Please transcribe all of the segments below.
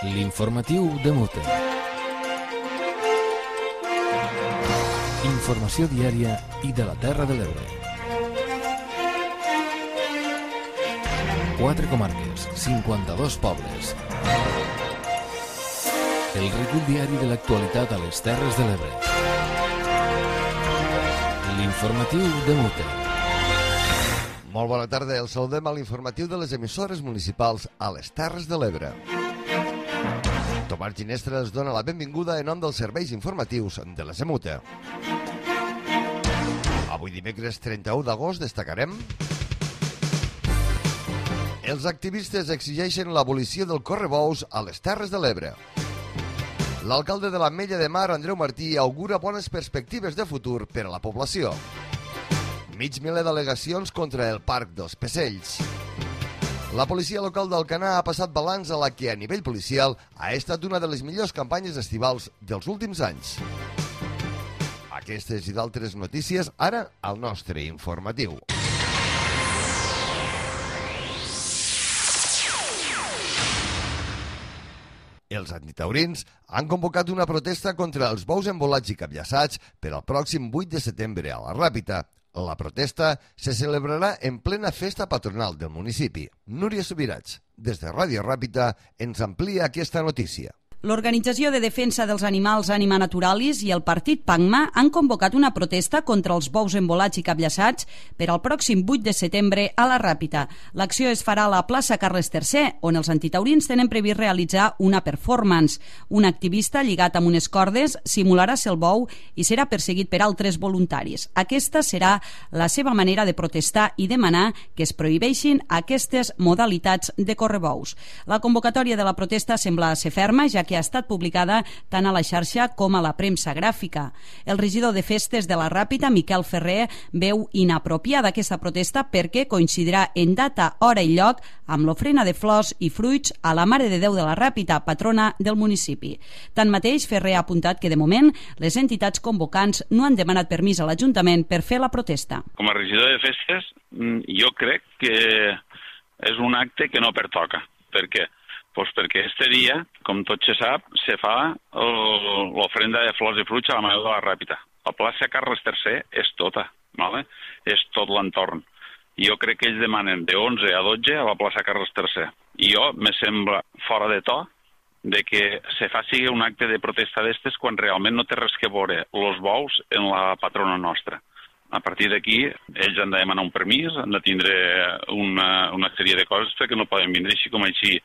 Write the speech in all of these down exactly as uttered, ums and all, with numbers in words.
L'informatiu de Mute. Informació diària i de la Terra de l'Ebre. Quatre comarques, cinquanta-dos pobles. El recull diari de l'actualitat a les Terres de l'Ebre. L'informatiu de Mute. Molt bona tarda, el saludem a l'informatiu de les emissores municipals a les Terres de l'Ebre. Tomàs Ginestra es dona la benvinguda en nom dels serveis informatius de la Semute. Avui dimecres trenta-u d'agost destacarem: els activistes exigeixen l'abolició del correbous a les Terres de l'Ebre. L'alcalde de l'Ametlla de Mar, Andreu Martí, augura bones perspectives de futur per a la població. Mig miler d'al·legacions contra el Parc dels Pecells. La policia local d'Alcanar ha passat balanç a la que, a nivell policial, ha estat una de les millors campanyes estivals dels últims anys. Aquestes i d'altres notícies, ara, al nostre informatiu. Els antitaurins han convocat una protesta contra els bous embolats i capllaçats per al pròxim vuit de setembre a la Ràpita. La protesta se celebrarà en plena festa patronal del municipi. Núria Subirats, des de Ràdio Ràpita, ens amplia aquesta notícia. L'Organització de Defensa dels Animals Anima Naturalis i el Partit PANGMA han convocat una protesta contra els bous embolats i capllaçats per al pròxim vuit de setembre a la Ràpita. L'acció es farà a la plaça Carles tercer, on els antitaurins tenen previst realitzar una performance. Un activista lligat amb unes cordes simularà ser el bou i serà perseguit per altres voluntaris. Aquesta serà la seva manera de protestar i demanar que es prohibeixin aquestes modalitats de correbous. La convocatòria de la protesta sembla ser ferma, ja que ha estat publicada tant a la xarxa com a la premsa gràfica. El regidor de festes de la Ràpita, Miquel Ferrer, veu inapropiada aquesta protesta perquè coincidirà en data, hora i lloc amb l'ofrena de flors i fruits a la Mare de Déu de la Ràpita, patrona del municipi. Tanmateix, Ferrer ha apuntat que de moment les entitats convocants no han demanat permís a l'Ajuntament per fer la protesta. Com a regidor de festes, jo crec que és un acte que no pertoca. Per què? Pues perquè este dia, com tot se sap, se fa l'ofrenda de flors i fruits a la Mare de la Ràpita. La plaça Carles tercer és tota, ¿vale? És tot l'entorn. Jo crec que ells demanen de onze a dotze a la plaça Carles tercer. I jo me sembla fora de to de que se faci un acte de protesta d'estes quan realment no té res que veure els bous en la patrona nostra. A partir d'aquí, ells han de demanar un permís, han de tindre una, una sèrie de coses perquè no poden vindre així com així.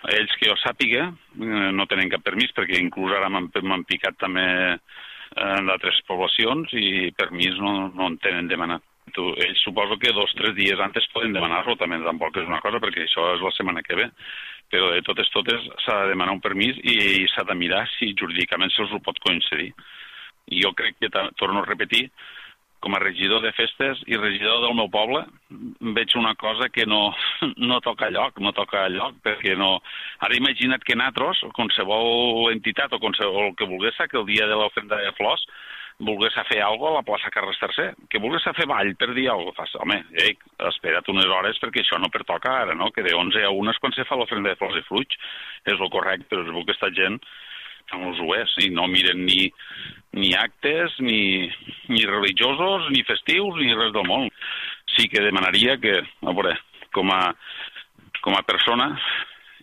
Ells que jo sàpiga no tenen cap permís perquè inclús ara m'han picat també en d'altres poblacions i permís no, no en tenen demanat. Ells suposo que dos o tres dies antes poden demanar-lo, també tampoc és una cosa perquè això és la setmana que ve, però de totes totes s'ha de demanar un permís i s'ha de mirar si jurídicament se'ls ho pot concedir. I jo crec que, torno a repetir, com a regidor de festes i regidor del meu poble, veig una cosa que no, no toca lloc, no toca lloc, perquè no... Ara imagina't que nosaltres, o qualsevol entitat, o qualsevol que volgués, que el dia de l'ofrenda de flors, volgués fer alguna cosa a la plaça Carles tercer, que volgués fer ball per dir alguna cosa. Home, ei, espera't unes hores perquè això no pertoca ara, no? Que de onze a una és quan se fa l'ofrenda de flors i fruits. És el correcte, però es veu que aquesta gent no els ho és, i no miren ni, ni actes, ni, ni religiosos, ni festius, ni res del món. Sí que demanaria que, a veure, com a, com a persona,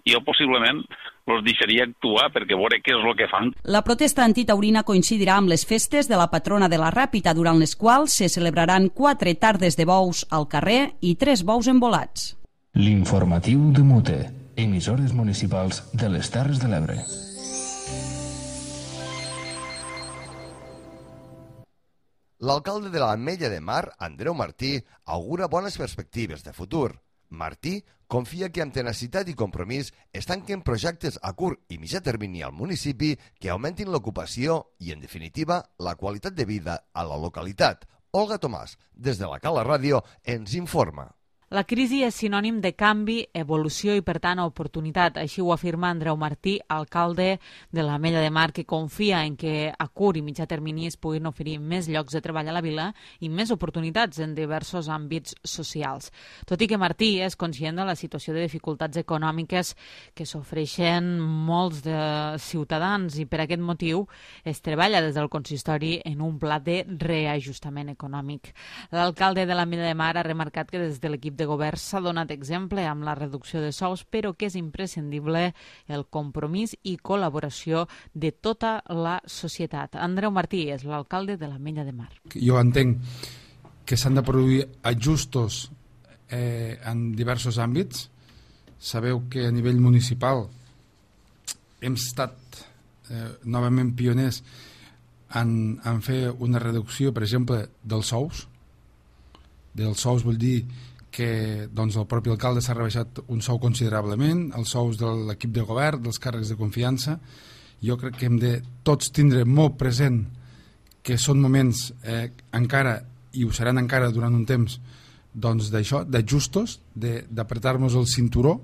jo possiblement els deixaria actuar perquè veure què és el que fan. La protesta antitaurina coincidirà amb les festes de la patrona de la Ràpita, durant les quals se celebraran quatre tardes de bous al carrer i tres bous embolats. L'informatiu de Mute, emissores municipals de les Terres de l'Ebre. L'alcalde de l'Ametlla de Mar, Andreu Martí, augura bones perspectives de futur. Martí confia que amb tenacitat i compromís es tanquen projectes a curt i mitjà termini al municipi que augmentin l'ocupació i, en definitiva, la qualitat de vida a la localitat. Olga Tomàs, des de la Cala Ràdio, ens informa. La crisi és sinònim de canvi, evolució i, per tant, oportunitat. Així ho afirma Andreu Martí, alcalde de l'Ametlla de Mar, que confia en que a curt i mitjà termini es puguin oferir més llocs de treball a la vila i més oportunitats en diversos àmbits socials. Tot i que Martí és conscient de la situació de dificultats econòmiques que s'ofereixen molts de ciutadans i per aquest motiu es treballa des del consistori en un pla de reajustament econòmic. L'alcalde de l'Ametlla de Mar ha remarcat que des de l'equip de govern s'ha donat exemple amb la reducció de sous, però que és imprescindible el compromís i col·laboració de tota la societat. Andreu Martí és l'alcalde de l'Ametlla de Mar. Jo entenc que s'han de produir ajustos eh, en diversos àmbits. Sabeu que a nivell municipal hem estat eh, novament pioners en, en fer una reducció, per exemple, dels sous. Dels sous vol dir que doncs, el propi alcalde s'ha rebaixat un sou considerablement, els sous de l'equip de govern, dels càrrecs de confiança. Jo crec que hem de tots tindre molt present que són moments eh, encara, i ho seran encara durant un temps, doncs d'això, d'ajustos, d'apretar-nos el cinturó,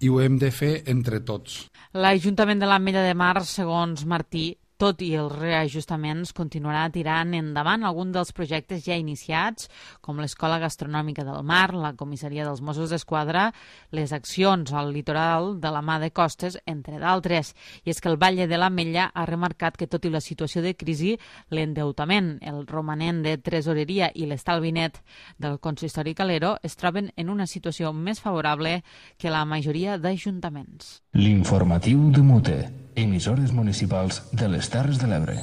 i ho hem de fer entre tots. L'Ajuntament de l'Ametlla de Mar, segons Martí, tot i els reajustaments, continuarà tirant endavant alguns dels projectes ja iniciats, com l'Escola Gastronòmica del Mar, la Comissaria dels Mossos d'Esquadra, les accions al litoral de la mà de Costes, entre d'altres. I és que el Batlle de l'Ametlla ha remarcat que, tot i la situació de crisi, l'endeutament, el romanent de tresoreria i l'estalvi net del consistori Calero es troben en una situació més favorable que la majoria d'ajuntaments. L'informatiu de Mute, emissores municipals de les Terres de l'Ebre.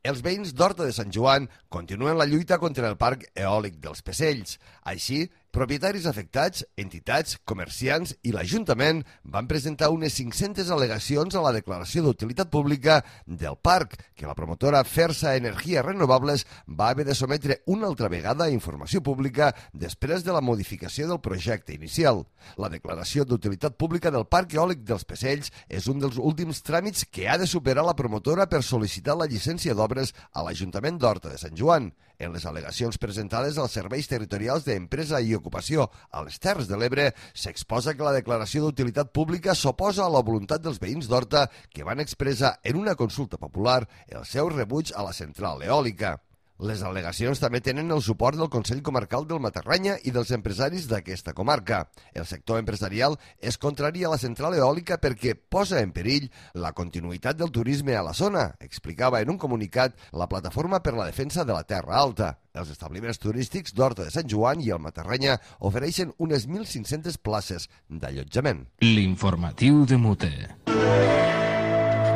Els veïns d'Horta de Sant Joan continuen la lluita contra el parc eòlic dels Pesells. Així, propietaris afectats, entitats, comerciants i l'Ajuntament van presentar unes cinc-centes al·legacions a la declaració d'utilitat pública del parc, que la promotora Fersa Energies Renovables va haver de sometre una altra vegada a informació pública després de la modificació del projecte inicial. La declaració d'utilitat pública del parc eòlic dels Pesells és un dels últims tràmits que ha de superar la promotora per sol·licitar la llicència d'obres a l'Ajuntament d'Horta de Sant Joan. En les al·legacions presentades als serveis territorials d'empresa i ocupació a les Terres de l'Ebre s'exposa que la declaració d'utilitat pública s'oposa a la voluntat dels veïns d'Horta que van expressar en una consulta popular el seu rebuig a la central eòlica. Les al·legacions també tenen el suport del Consell Comarcal del Matarranya i dels empresaris d'aquesta comarca. El sector empresarial és contrari a la central eòlica perquè posa en perill la continuïtat del turisme a la zona, explicava en un comunicat la Plataforma per la Defensa de la Terra Alta. Els establiments turístics d'Horta de Sant Joan i el Matarranya ofereixen unes mil cinc-centes places d'allotjament. L'informatiu de Mute.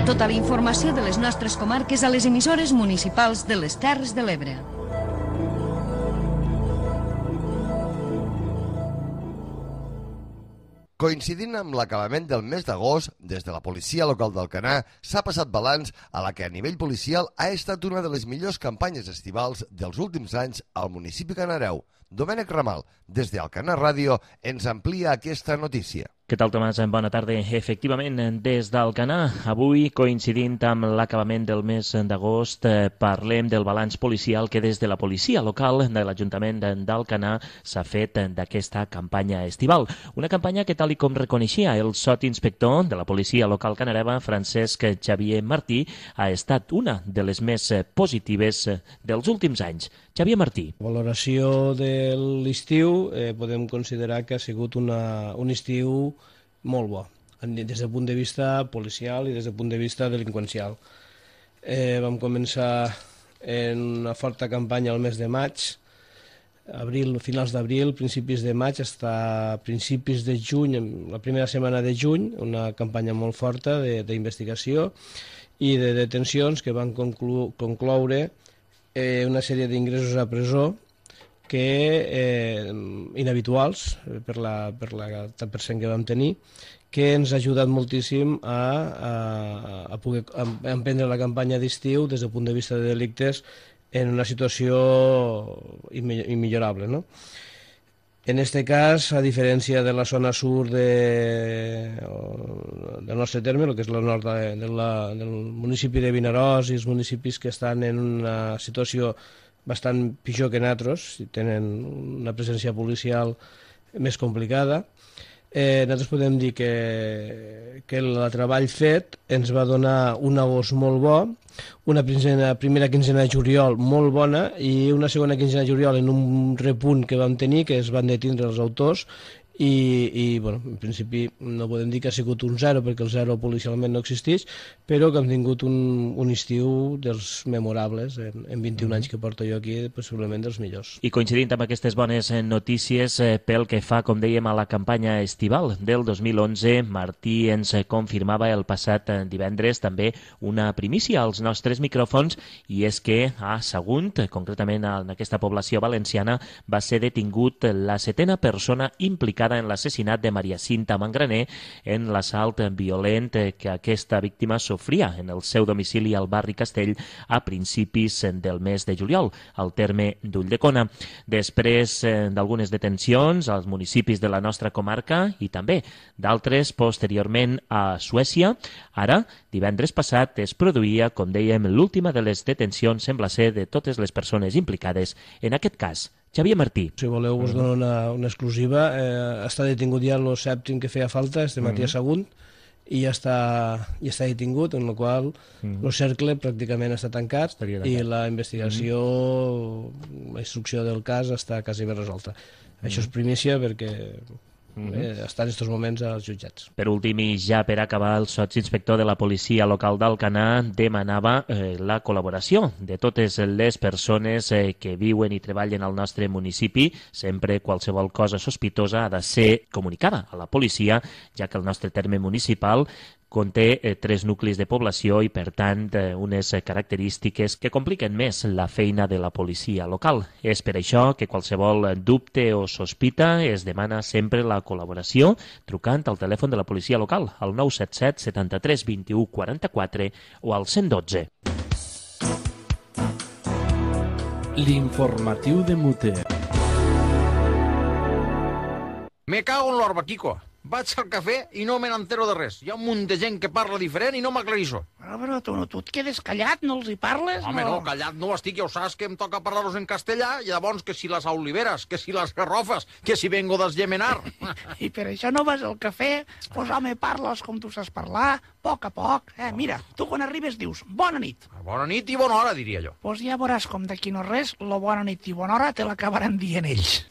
Tota la informació de les nostres comarques a les emissores municipals de les Terres de l'Ebre. Coincidint amb l'acabament del mes d'agost, des de la policia local d'Alcanar s'ha passat balanç a la que a nivell policial ha estat una de les millors campanyes estivals dels últims anys al municipi canareu. Domènec Ramal, des d'Alcanar Ràdio, ens amplia aquesta notícia. Què tal, Tomàs? Bona tarda. Efectivament, des d'Alcanar, avui, coincidint amb l'acabament del mes d'agost, parlem del balanç policial que des de la policia local de l'Ajuntament d'Alcanar s'ha fet d'aquesta campanya estival. Una campanya que, tal i com reconeixia el sotsinspector de la policia local canareva, Francesc Xavier Martí, ha estat una de les més positives dels últims anys. Xavier Martí. La valoració de l'estiu eh, podem considerar que ha sigut una, un estiu molt bo, des del punt de vista policial i des del punt de vista delinqüencial. Eh, vam començar en una forta campanya al mes de maig, abril, finals d'abril, principis de maig, fins a principis de juny, la primera setmana de juny, una campanya molt forta d'investigació i de detencions que van conclu concloure eh, una sèrie d'ingressos a presó que eh, inhabituals per la, per la tant per cent que vam tenir, que ens ha ajudat moltíssim a, a, a poder emprendre la campanya d'estiu des del punt de vista de delictes en una situació immillorable, no? En aquest cas, a diferència de la zona sur de, del nostre terme, el que és la nord de, de la, del municipi de Vinaròs i els municipis que estan en una situació bastant pitjor que nosaltres, tenen una presència policial més complicada. Eh, nosaltres podem dir que, que el treball fet ens va donar un agost molt bo, una quinzena, primera quinzena de juliol molt bona i una segona quinzena de juliol en un repunt que vam tenir, que es van detindre els autors, i, i bueno, en principi no podem dir que ha sigut un zero, perquè el zero policialment no existeix, però que hem tingut un, un estiu dels memorables, en, en vint-i-un anys que porto jo aquí, possiblement dels millors. I coincidint amb aquestes bones notícies, eh, pel que fa, com dèiem, a la campanya estival del dos mil onze, Martí ens confirmava el passat divendres també una primícia als nostres micròfons, i és que a Sagunt, concretament en aquesta població valenciana, va ser detingut la setena persona implicada en l'assassinat de Maria Cinta Mangraner en l'assalt violent que aquesta víctima sofria en el seu domicili al barri Castell a principis del mes de juliol, al terme d'Ulldecona. Després d'algunes detencions als municipis de la nostra comarca i també d'altres posteriorment a Suècia, ara, divendres passat, es produïa, com dèiem, l'última de les detencions, sembla ser, de totes les persones implicades en aquest cas. Xavier Martí. Si voleu us dono una, una exclusiva. Eh, està detingut ja el sèptim que feia falta, este matí a Sagunt, i ja està, ja està detingut, en la qual el mm. cercle pràcticament està tancat, tancat i la investigació, mm. la instrucció del cas està quasi ben resolta. Mm. Això és primícia perquè Mm-hmm. eh, estan en aquests moments als jutjats. Per últim, i ja per acabar, el sotsinspector de la policia local d'Alcanar demanava eh, la col·laboració de totes les persones eh, que viuen i treballen al nostre municipi. Sempre qualsevol cosa sospitosa ha de ser comunicada a la policia, ja que el nostre terme municipal conté eh, tres nuclis de població i, per tant, eh, unes eh, característiques que compliquen més la feina de la policia local. És per això que qualsevol dubte o sospita es demana sempre la col·laboració trucant al telèfon de la policia local, al nou set set setanta-tres vint-i-u quaranta-quatre o al cent dotze. L'informatiu de Mute. Me cago en l'orba, Kiko. Vaig al cafè i no me n'entero de res. Hi ha un munt de gent que parla diferent i no m'aclarisso. Però, però tu, no, tu et quedes callat, no els hi parles? Home, no, no callat no estic, ja ho saps que em toca parlar-los en castellà, i llavors que si les oliveres, que si les garrofes, que si vengo d'esgemenar. I per això no vas al cafè? Pues home, parles com tu saps parlar, a poc a poc. Eh, mira, tu quan arribes dius bona nit. Bona nit i bona hora, diria jo. Pues ja veuràs com d'aquí no res, lo bona nit i bona hora te l'acabaran dient ells.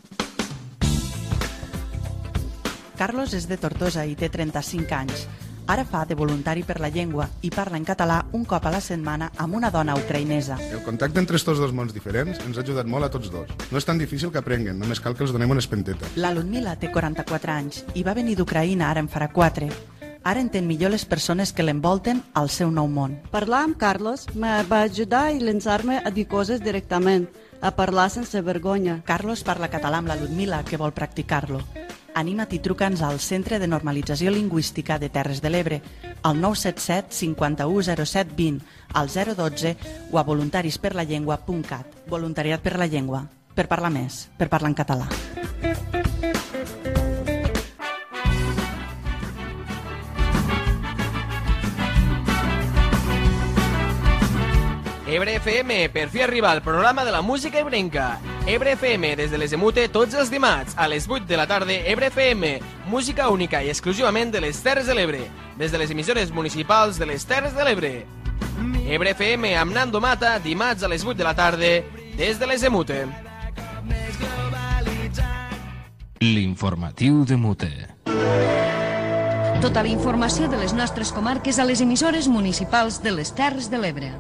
Carlos és de Tortosa i té trenta-cinc anys. Ara fa de voluntari per la llengua i parla en català un cop a la setmana amb una dona ucraïnesa. El contacte entre estos dos mons diferents ens ha ajudat molt a tots dos. No és tan difícil que aprenguen, només cal que els donem una espenteta. La Ludmila té quaranta-quatre anys i va venir d'Ucraïna, ara en farà quatre. Ara entén millor les persones que l'envolten al seu nou món. Parlar amb Carlos me va ajudar i llançar-me a dir coses directament, a parlar sense vergonya. Carlos parla català amb la Ludmila, que vol practicar-lo. Anima't i truca'ns al Centre de Normalització Lingüística de Terres de l'Ebre, al nou set set cinquanta-u zero set vint, al zero dotze o a voluntarisperlallengua punt cat. Voluntariat per la llengua. Per parlar més, per parlar en català. Ebre F M, per fi arriba el programa de la música ebrenca. Ebre F M, des de les Emute, tots els dimarts, a les vuit de la tarda, Ebre F M, música única i exclusivament de les Terres de l'Ebre, des de les emissores municipals de les Terres de l'Ebre. Ebre F M amb Nando Mata, dimarts a les vuit de la tarda, des de les Emute. L'informatiu de Mute. Tota la informació de les nostres comarques a les emissores municipals de les Terres de l'Ebre.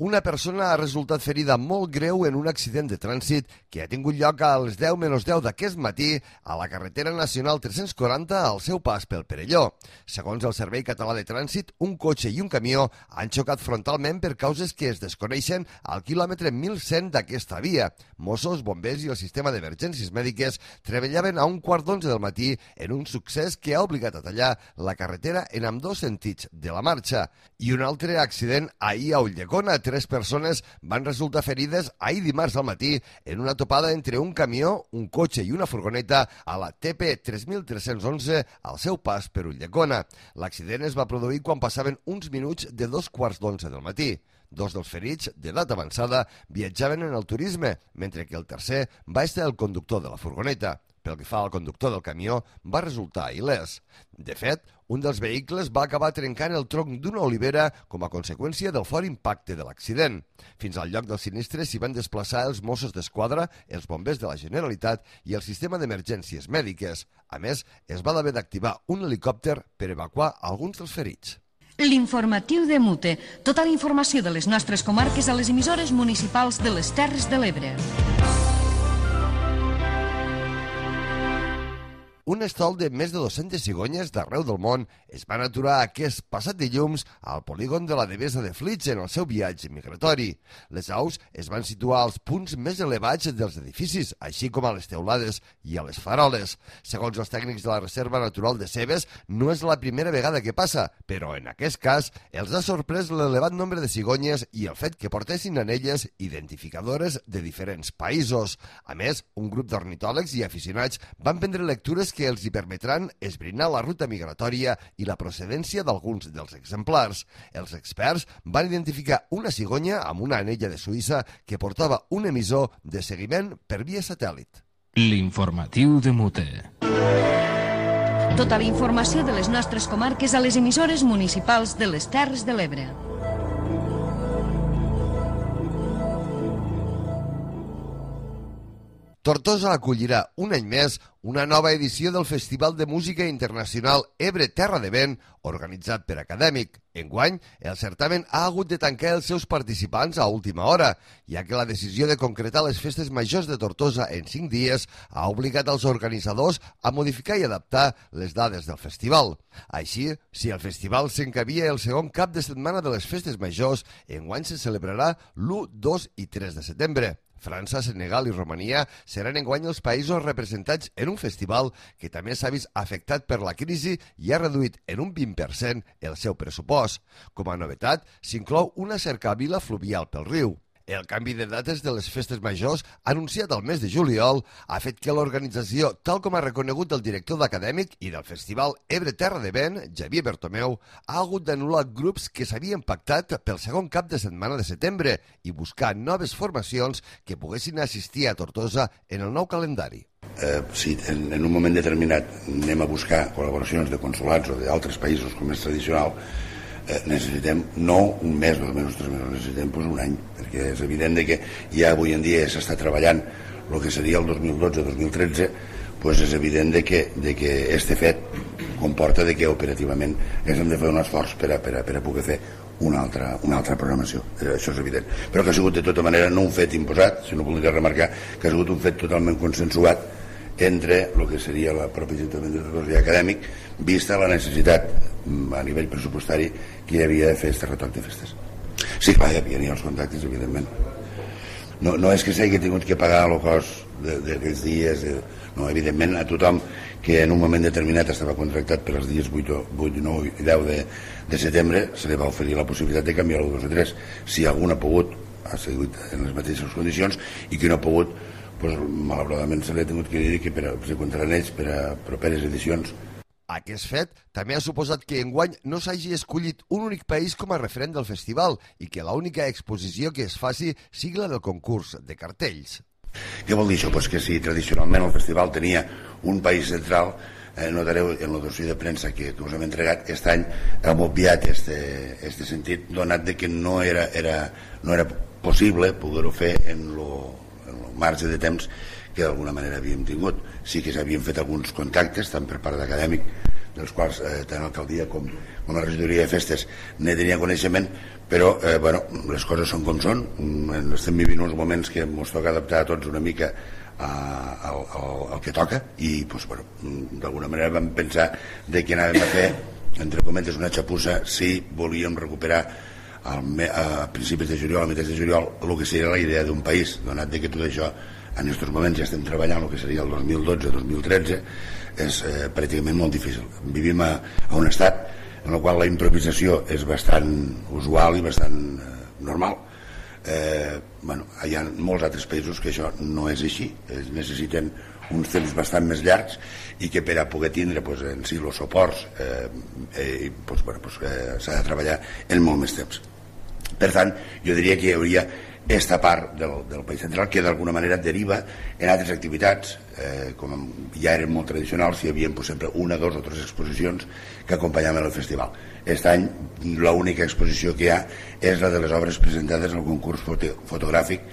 Una persona ha resultat ferida molt greu en un accident de trànsit que ha tingut lloc a les deu menys deu d'aquest matí a la carretera nacional tres-cents quaranta al seu pas pel Perelló. Segons el Servei Català de Trànsit, un cotxe i un camió han xocat frontalment per causes que es desconeixen al quilòmetre mil cent d'aquesta via. Mossos, bombers i el sistema d'emergències mèdiques treballaven a un quart d'onze del matí en un succés que ha obligat a tallar la carretera en ambdós sentits de la marxa. I un altre accident ahir a Ulldecona. tres persones van resultar ferides ahir dimarts al matí en una topada entre un camió, un cotxe i una furgoneta a la T P tres mil tres-cents onze al seu pas per Ulldecona. L'accident es va produir quan passaven uns minuts de dos quarts d'onze del matí. Dos dels ferits, d'edat avançada, viatjaven en el turisme, mentre que el tercer va estar el conductor de la furgoneta. Pel que fa al conductor del camió, va resultar il·lès. De fet, un dels vehicles va acabar trencant el tronc d'una olivera com a conseqüència del fort impacte de l'accident. Fins al lloc del sinistre s'hi van desplaçar els Mossos d'Esquadra, els bombers de la Generalitat i el sistema d'emergències mèdiques. A més, es va haver d'activar un helicòpter per evacuar alguns dels ferits. L'informatiu de Mute. Tota la informació de les nostres comarques a les emissores municipals de les Terres de l'Ebre. Un estol de més de dues-centes cigonyes d'arreu del món es van aturar aquest passat dilluns al polígon de la Devesa de Flix en el seu viatge migratori. Les aus es van situar als punts més elevats dels edificis, així com a les teulades i a les faroles. Segons els tècnics de la Reserva Natural de Cebes, no és la primera vegada que passa, però en aquest cas els ha sorprès l'elevat nombre de cigonyes i el fet que portessin en elles identificadores de diferents països. A més, un grup d'ornitòlegs i aficionats van prendre lectures que els hi permetran esbrinar la ruta migratòria i la procedència d'alguns dels exemplars. Els experts van identificar una cigonya amb una anella de Suïssa que portava un emissor de seguiment per via satèl·lit. L'informatiu de Mute. Tota la informació de les nostres comarques a les emissores municipals de les Terres de l'Ebre. Tortosa acollirà un any més una nova edició del Festival de Música Internacional Ebre Terra de Vent, organitzat per Acadèmic. Enguany, el certamen ha hagut de tancar els seus participants a última hora, ja que la decisió de concretar les festes majors de Tortosa en cinc dies ha obligat els organitzadors a modificar i adaptar les dades del festival. Així, si el festival s'encabia el segon cap de setmana de les festes majors, enguany se celebrarà l'u, dos i tres de setembre. França, Senegal i Romania seran enguany els països representats en un festival que també s'ha vist afectat per la crisi i ha reduït en un vint per cent el seu pressupost. Com a novetat, s'inclou una cercavila fluvial pel riu. El canvi de dates de les festes majors, anunciat al mes de juliol, ha fet que l'organització, tal com ha reconegut el director d'Acadèmic i del Festival Ebre Terra de Vent, Xavier Bertomeu, ha hagut d'anul·lar grups que s'havien pactat pel segon cap de setmana de setembre i buscar noves formacions que poguessin assistir a Tortosa en el nou calendari. Eh, si en, en un moment determinat anem a buscar col·laboracions de consolats o d'altres països, com és tradicional, Eh, necessitem no un mes, dos mesos, tres mesos, necessitem pues, un any, perquè és evident de que ja avui en dia s'està treballant el que seria el dos mil dotze dos mil tretze, pues és evident de que, de que este fet comporta de que operativament hem de fer un esforç per a, per a, per a poder fer una altra, una altra programació, eh, això és evident, però que ha sigut de tota manera no un fet imposat, sinó volia remarcar que ha sigut un fet totalment consensuat entre el que seria la pròpia Ajuntament de Tortosa i Acadèmic, vista la necessitat a nivell pressupostari que hi havia de fer aquest retoc de festes. Sí, clar, hi havia els contactes, evidentment. No, no és que s'hagi tingut que pagar el cost d'aquells dies, de, no, evidentment a tothom que en un moment determinat estava contractat per als dies vuit, nou i deu de, de setembre se li va oferir la possibilitat de canviar el dos o tres. Si algun ha pogut, ha sigut en les mateixes condicions, i qui no ha pogut, pues, malauradament se li ha tingut que dir que per a, se comptaran ells per a properes edicions. Aquest fet també ha suposat que enguany no s'hagi escollit un únic país com a referent del festival i que l'única exposició que es faci sigui la del concurs de cartells. Què vol dir això? Pues que si tradicionalment el festival tenia un país central, eh, notareu en el dossier de premsa que, que us hem entregat, aquest any hem obviat este, este sentit, donat de que no era, era, no era possible poder-ho fer en lo, en lo marge de temps que d'alguna manera havíem tingut. Sí que s'havien fet alguns contactes, tant per part d'Acadèmic, dels quals eh, tant l'alcaldia com, com la regidoria de festes ne tenia coneixement, però eh, bueno, les coses són com són. Estem vivint uns moments que ens toca adaptar a tots una mica a, al, al, al que toca i pues, bueno, d'alguna manera vam pensar de que anàvem a fer, entre cometes, una xapussa si volíem recuperar al, a principis de juliol, a mitjans de juliol, el que seria la idea d'un país, donat de que tot això en aquests moments ja estem treballant el que seria el dos mil dotze dos mil tretze, és eh, pràcticament molt difícil. Vivim a, a un estat en el qual la improvisació és bastant usual i bastant eh, normal, Eh, bueno, hi ha molts altres països que això no és així, es necessiten uns temps bastant més llargs i que per a poder tindre pues, en si els suports eh, eh, pues, bueno, pues, eh, s'ha de treballar en molt més temps. Per tant, jo diria que hi hauria esta part del, del País Central que d'alguna manera deriva en altres activitats, eh, com ja eren molt tradicionals, hi havia pues, sempre una, dos o tres exposicions que acompanyaven el festival. Aquest any l'única exposició que hi ha és la de les obres presentades al concurs foto fotogràfic.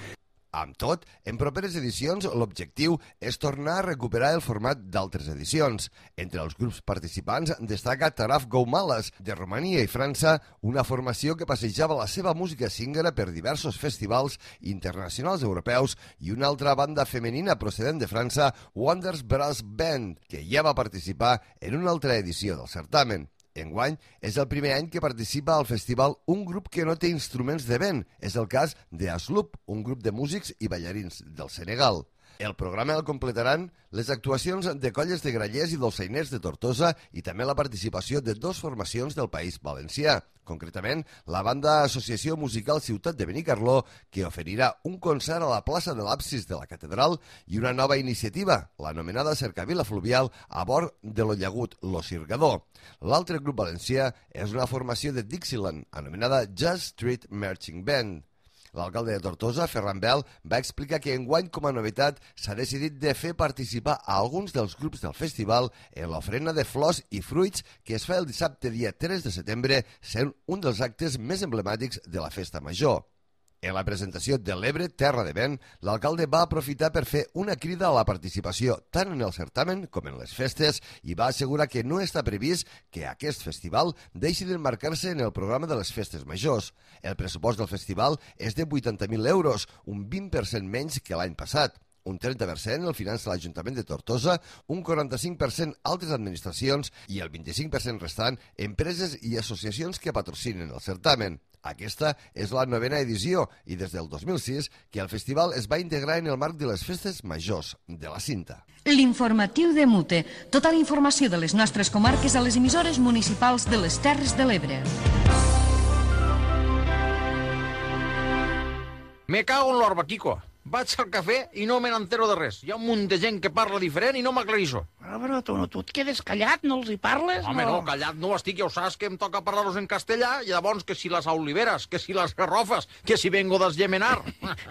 Amb tot, en properes edicions l'objectiu és tornar a recuperar el format d'altres edicions. Entre els grups participants destaca Taraf Goumalas, de Romania i França, una formació que passejava la seva música singera per diversos festivals internacionals europeus, i una altra banda femenina procedent de França, Wonders Brass Band, que ja va participar en una altra edició del certamen. Enguany és el primer any que participa al festival un grup que no té instruments de vent. És el cas de Asloop, un grup de músics i ballarins del Senegal. El programa el completaran les actuacions de colles de grallers i dolçainers de Tortosa i també la participació de dues formacions del País Valencià, concretament la banda Associació Musical Ciutat de Benicarló, que oferirà un concert a la plaça de l'Absis de la Catedral, i una nova iniciativa, l'anomenada Cercavila Fluvial, a bord de lo llagut Lo Cirgador. L'altre grup valencià és una formació de Dixieland, anomenada Jazz Street Marching Band. L'alcalde de Tortosa, Ferran Bel, va explicar que enguany com a novetat s'ha decidit de fer participar a alguns dels grups del festival en l'ofrena de flors i fruits que es fa el dissabte dia tres de setembre, sent un dels actes més emblemàtics de la festa major. En la presentació de l'Ebre, Terra de Vent, l'alcalde va aprofitar per fer una crida a la participació tant en el certamen com en les festes i va assegurar que no està previst que aquest festival deixi d'emmarcar-se en el programa de les festes majors. El pressupost del festival és de vuitanta mil euros, un vint per cent menys que l'any passat. Un trenta per cent el finança l'Ajuntament de Tortosa, un quaranta-cinc per cent altres administracions i el vint-i-cinc per cent restant empreses i associacions que patrocinen el certamen. Aquesta és la novena edició i des del dos mil sis que el festival es va integrar en el marc de les festes majors de la Cinta. L'informatiu de Mute. Tota la informació de les nostres comarques a les emissores municipals de les Terres de l'Ebre. Me cago en l'orbaquico. Vaig al cafè i no me n'entero de res. Hi ha un munt de gent que parla diferent i no m'aclarissó. Però, però tu, tu et quedes callat, no els hi parles? Home, no, no callat no estic, ja ho saps que em toca parlar-los en castellà, i llavors que si les oliveres, que si les garrofes, que si vengo d'esgemenar.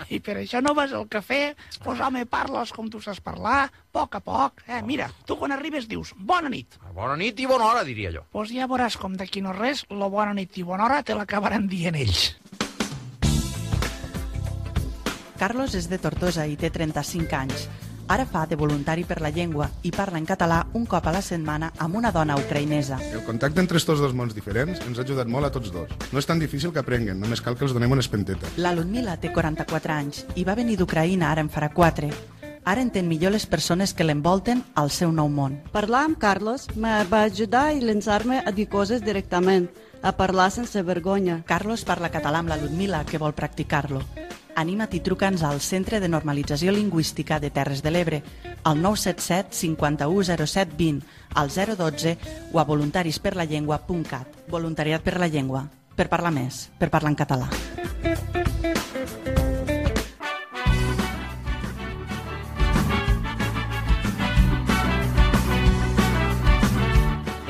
I per això no vas al cafè? Pues home, parles com tu saps parlar, a poc a poc. Eh, mira, tu quan arribes dius bona nit. Bona nit i bona hora, diria jo. Pues ja veuràs com d'aquí no res, la bona nit i bona hora te l'acabaran dient ells. Carlos és de Tortosa i té trenta-cinc anys. Ara fa de voluntari per la llengua i parla en català un cop a la setmana amb una dona ucraïnesa. El contacte entre estos dos mons diferents ens ha ajudat molt a tots dos. No és tan difícil que aprenguen, només cal que els donem una espenteta. La Ludmila té quaranta-quatre anys i va venir d'Ucraïna ara en farà quatre. Ara entén millor les persones que l'envolten al seu nou món. Parlar amb Carlos me va ajudar i llançar-me a dir coses directament, a parlar sense vergonya. Carlos parla català amb la Ludmila, que vol practicar-lo. Anima't i truca'ns al Centre de Normalització Lingüística de Terres de l'Ebre, al nou set set cinquanta-u zero set vint, al zero dotze o a voluntarisperlallengua punt cat. Voluntariat per la llengua. Per parlar més, per parlar en català.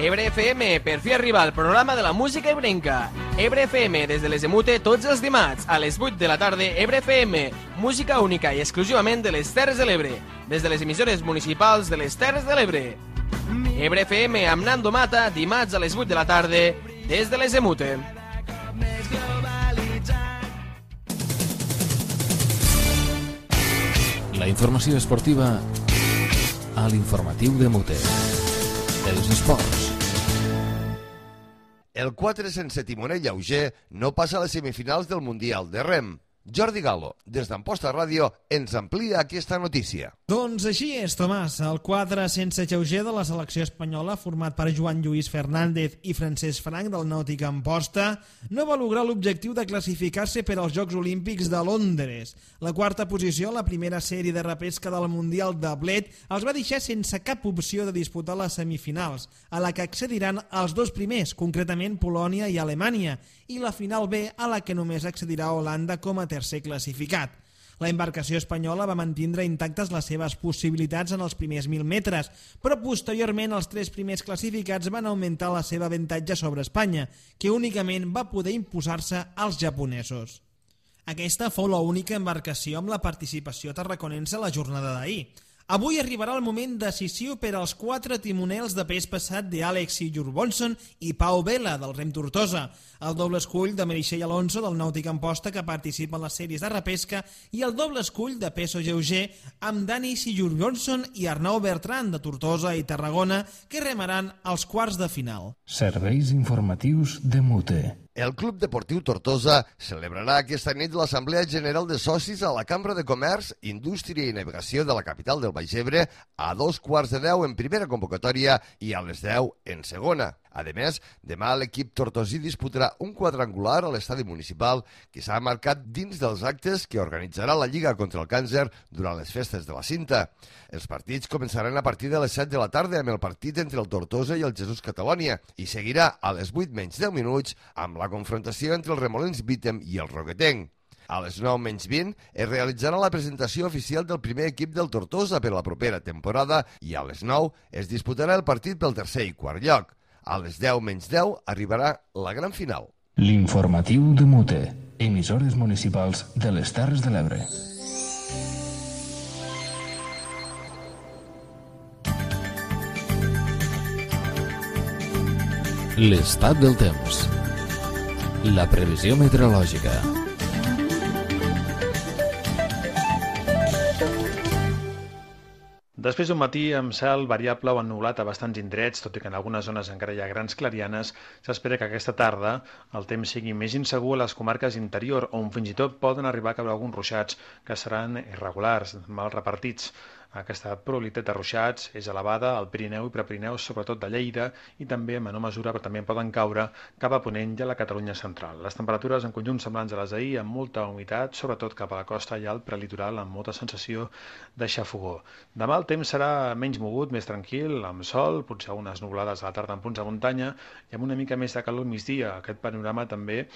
Ebre F M, per fi arriba el programa de la música ebrenca. Ebre F M, des de les Emute, tots els dimarts, a les vuit de la tarda. Ebre F M, música única i exclusivament de les Terres de l'Ebre, des de les emissores municipals de les Terres de l'Ebre. Ebre F M amb Nando Mata, dimarts a les vuit de la tarda, des de les Emute. La informació esportiva a l'informatiu de Mute. Els esports. El quatre sense timoner lleuger no passa a les semifinals del Mundial de Rem. Jordi Galo, des d'Amposta Ràdio, ens amplia aquesta notícia. Doncs així és, Tomàs. El quadre sense lleuger de la selecció espanyola, format per Joan Lluís Fernández i Francesc Frank del Nàutic Amposta, no va lograr l'objectiu de classificar-se per als Jocs Olímpics de Londres. La quarta posició, la primera sèrie de repesca del Mundial de Bled, els va deixar sense cap opció de disputar les semifinals, a la que accediran els dos primers, concretament Polònia i Alemanya, i la final B, a la que només accedirà Holanda com a tercer classificat. La embarcació espanyola va mantindre intactes les seves possibilitats en els primers mil metres, però posteriorment els tres primers classificats van augmentar la seva avantatge sobre Espanya, que únicament va poder imposar-se als japonesos. Aquesta fou l'única embarcació amb la participació tarraconense a la jornada d'ahir. Avui arribarà el moment decisiu per als quatre timonels de pes passat d'Àlex Sigurjonsson i Pau Vela, del Rem Tortosa, el doble escull de Meritxell Alonso, del Nàutic Amposta, que participa en les sèries de repesca, i el doble escull de peso lleuger amb Dani Sigurjonsson i Arnau Bertran, de Tortosa i Tarragona, que remaran als quarts de final. Serveis informatius de Mute. El Club Deportiu Tortosa celebrarà aquesta nit l'Assemblea General de Socis a la Cambra de Comerç, Indústria i Navegació de la capital del Baix Ebre a dos quarts de deu en primera convocatòria i a les deu en segona. A més, demà l'equip tortosí disputarà un quadrangular a l'estadi municipal que s'ha marcat dins dels actes que organitzarà la Lliga contra el Càncer durant les festes de la Cinta. Els partits començaran a partir de les set de la tarda amb el partit entre el Tortosa i el Jesús Catalònia i seguirà a les vuit menys deu minuts amb la confrontació entre el Remolins Vítem i el Roquetenc. A les nou menys vint es realitzarà la presentació oficial del primer equip del Tortosa per la propera temporada i a les nou es disputarà el partit pel tercer i quart lloc. A les deu menys deu arribarà la gran final. L'informatiu de Mute, emissores municipals de les Terres de l'Ebre. L'estat del temps. La previsió meteorològica. Després d'un matí amb cel variable o ennubulat a bastants indrets, tot i que en algunes zones encara hi ha grans clarianes, s'espera que aquesta tarda el temps sigui més insegur a les comarques interior, on fins i tot poden arribar a caure alguns ruixats que seran irregulars, mal repartits. Aquesta probabilitat de ruixats és elevada al Pirineu i Prepirineu, sobretot de Lleida, i també en menor mesura, però també poden caure cap a Ponent i a la Catalunya central. Les temperatures en conjunt semblants a les d'ahir, amb molta humitat, sobretot cap a la costa i al prelitoral, amb molta sensació de xafogó. Demà el temps serà menys mogut, més tranquil, amb sol, potser algunes nuvolades a la tarda en punts de muntanya, i amb una mica més de calor al migdia. Aquest panorama també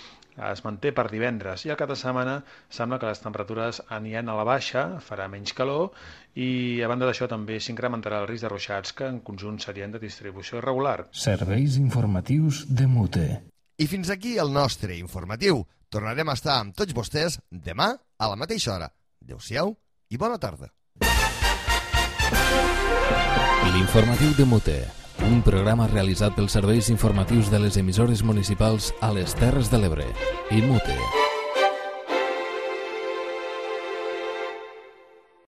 es manté per divendres, i al cap de setmana sembla que les temperatures aniran a la baixa, farà menys calor, i a banda d'això també s'incrementarà el risc de ruixats que en conjunt serien de distribució irregular. Serveis informatius de Mute. I fins aquí el nostre informatiu. Tornarem a estar amb tots vostès demà a la mateixa hora. Adéu-siau i bona tarda. L'informatiu de Mute, un programa realitzat pels serveis informatius de les emissores municipals a les Terres de l'Ebre i Mute.